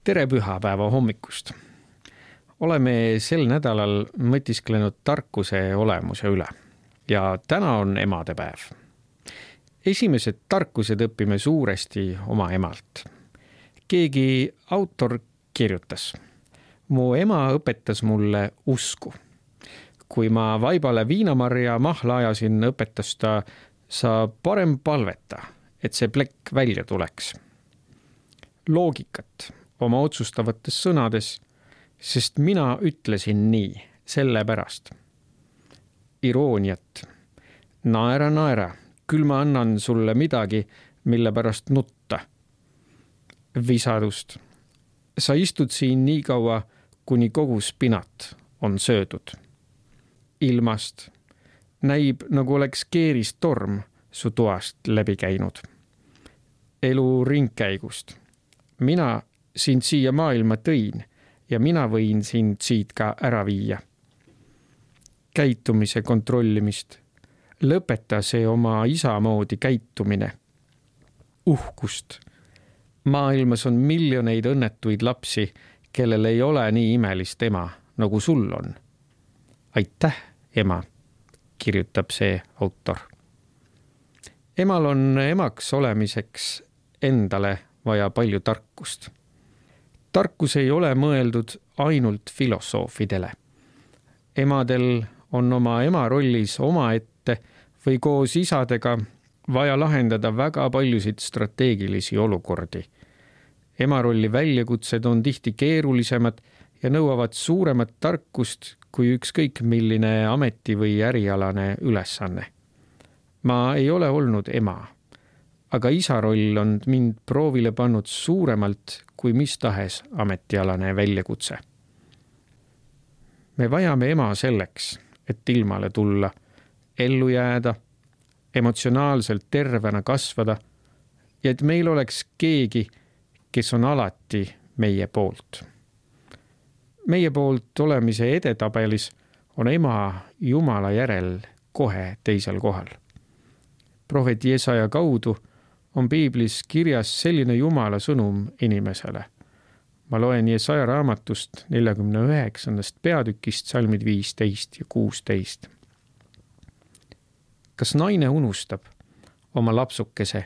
Tere pühapäeva hommikust! Oleme sel nädalal mõtisklenud tarkuse olemuse üle ja täna on emadepäev. Esimesed tarkused õpime suuresti oma emalt. Keegi autor kirjutas: mu ema õpetas mulle usku. Kui ma vaibale viinamarja mahla ajasin, õpetas ta, sa parem palveta, et see plekk välja tuleks. Loogikat oma otsustavates sõnades, sest mina ütlesin nii, sellepärast. Irooniat. Naera, küll ma annan sulle midagi, mille pärast nutta. Visadust. Sa istud siin nii kaua, kuni kogu spinat on söödud. Ilmast. Näib, nagu oleks keeristorm su toast läbi käinud. Elu ringkäigust. Mina sind siia maailma tõin ja mina võin sind siit ka ära viia. Käitumise kontrollimist. Lõpeta see oma isa moodi käitumine. Uhkust. Maailmas on miljoneid õnnetuid lapsi, kellel ei ole nii imelist ema, nagu sul on. Aitäh, ema, kirjutab see autor. Emal on emaks olemiseks endale vaja palju tarkust. Tarkus ei ole mõeldud ainult filosoofidele. Emadel on oma ema rollis omaette või koos isadega vaja lahendada väga paljusid strateegilisi olukordi. Ema rolli väljakutsed on tihti keerulisemad ja nõuavad suuremat tarkust kui ükskõik milline ameti- või ärialane ülesanne. Ma ei ole olnud ema, aga isa roll on mind proovile pannud suuremalt kui mis tahes ametialane väljakutse. Me vajame ema selleks, et ilmale tulla, ellu jääda, emotsionaalselt tervena kasvada ja et meil oleks keegi, kes on alati meie poolt. Meie poolt olemise edetabelis on ema Jumala järel kohe teisel kohal. Prohvet Jesaja kaudu on Piiblis kirjas selline Jumala sõnum inimesele. Ma loen Jesaja raamatust 49. peatükist salmid 15 ja 16. Kas naine unustab oma lapsukese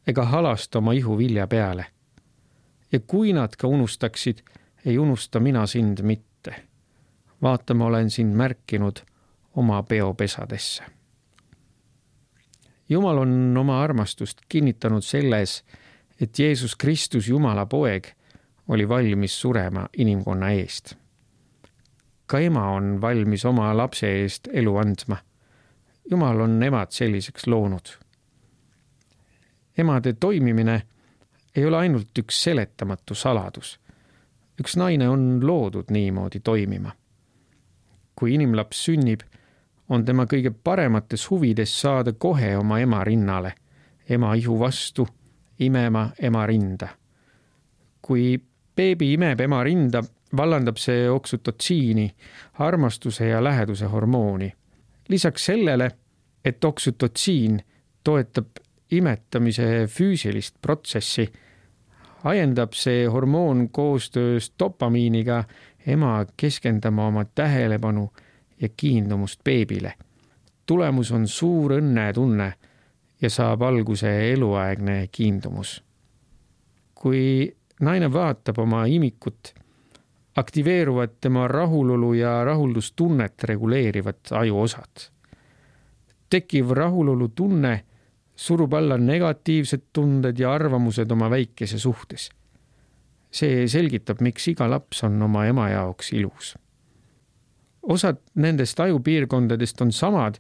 ega halasta oma ihu vilja peale? Ja kui nad ka unustaksid, ei unusta mina sind mitte. Vaata, ma olen sind märkinud oma peopesadesse. Jumal on oma armastust kinnitanud selles, et Jeesus Kristus, Jumala poeg, oli valmis surema inimkonna eest. Ka ema on valmis oma lapse eest elu andma. Jumal on emad selliseks loonud. Emade toimimine ei ole ainult üks seletamatu saladus. Üks naine on loodud niimoodi toimima. Kui inimlaps sünnib, on tema kõige paremates huvides saada kohe oma ema rinnale, ema ihu vastu, imema ema rinda. Kui beebi imeb ema rinda, vallandab see oksütotsiini, armastuse ja läheduse hormooni. Lisaks sellele, et oksütotsiin toetab imetamise füüsilist protsessi, ajendab see hormoon koostöös dopamiiniga ema keskendama oma tähelepanu ja kiindumust beebile. Tulemus on suur õnnetunne ja saab alguse eluaegne kiindumus. Kui naine vaatab oma imikut, aktiveeruvad tema rahulolu ja rahuldustunnet reguleerivad ajuosad. Tekiv rahulolu tunne surub alla negatiivsed tunded ja arvamused oma väikese suhtes. See selgitab, miks iga laps on oma ema jaoks ilus. Osad nendest ajupiirkondadest on samad,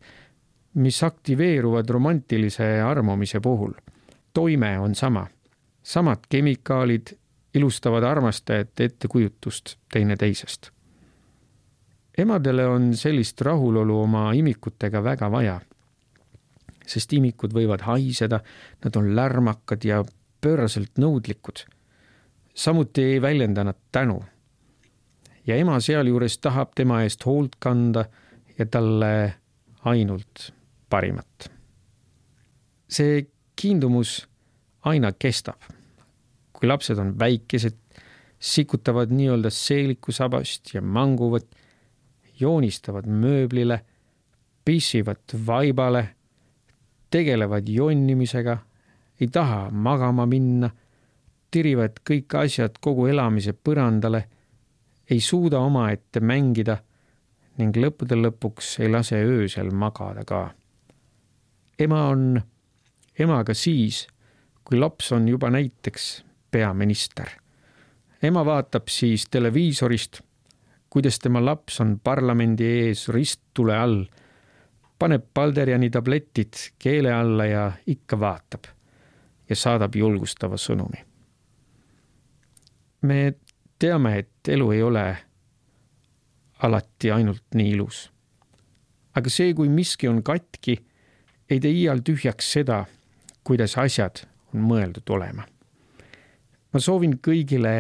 mis aktiveeruvad romantilise armumise puhul. Toime on sama. Samad kemikaalid ilustavad armastajate ettekujutust teine teisest. Emadele on sellist rahulolu oma imikutega väga vaja, sest imikud võivad haiseda, nad on lärmakad ja pööraselt nõudlikud. Samuti ei väljenda nad tänu. Ja ema sealjuures tahab tema eest hoolt kanda ja talle ainult parimat. See kiindumus aina kestab. Kui lapsed on väikesed, sikutavad nii-öelda seelikusabast ja manguvad, joonistavad mööblile, pissivad vaibale, tegelevad jonnimisega, ei taha magama minna, tirivad kõik asjad kogu elamise põrandale, ei suuda omaette mängida ning lõppude lõpuks ei lase öösel magada ka. Ema on emaga siis, kui laps on juba näiteks peaminister. Ema vaatab siis televiisorist, kuidas tema laps on parlamendi ees risttule all, paneb Balderiani tabletid keele alla ja ikka vaatab ja saadab julgustava sõnumi. Me teame, et elu ei ole alati ainult nii ilus. Aga see, kui miski on katki, ei tee iial tühjaks seda, kuidas asjad on mõeldud olema. Ma soovin kõigile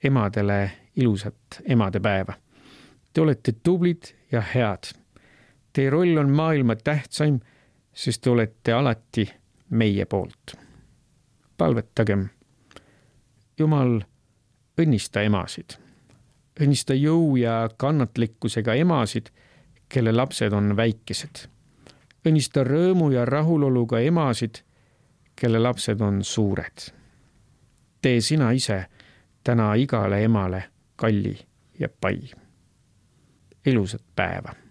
emadele ilusat emadepäeva. Te olete tublid ja head. Teie roll on maailma tähtsaim, sest te olete alati meie poolt. Palvetagem. Jumal, õnnista emasid. Õnnista jõu ja kannatlikkusega emasid, kelle lapsed on väikesed. Õnnista rõõmu ja rahuloluga emasid, kelle lapsed on suured. Tee sina ise täna igale emale kalli ja pai. Ilusat päeva!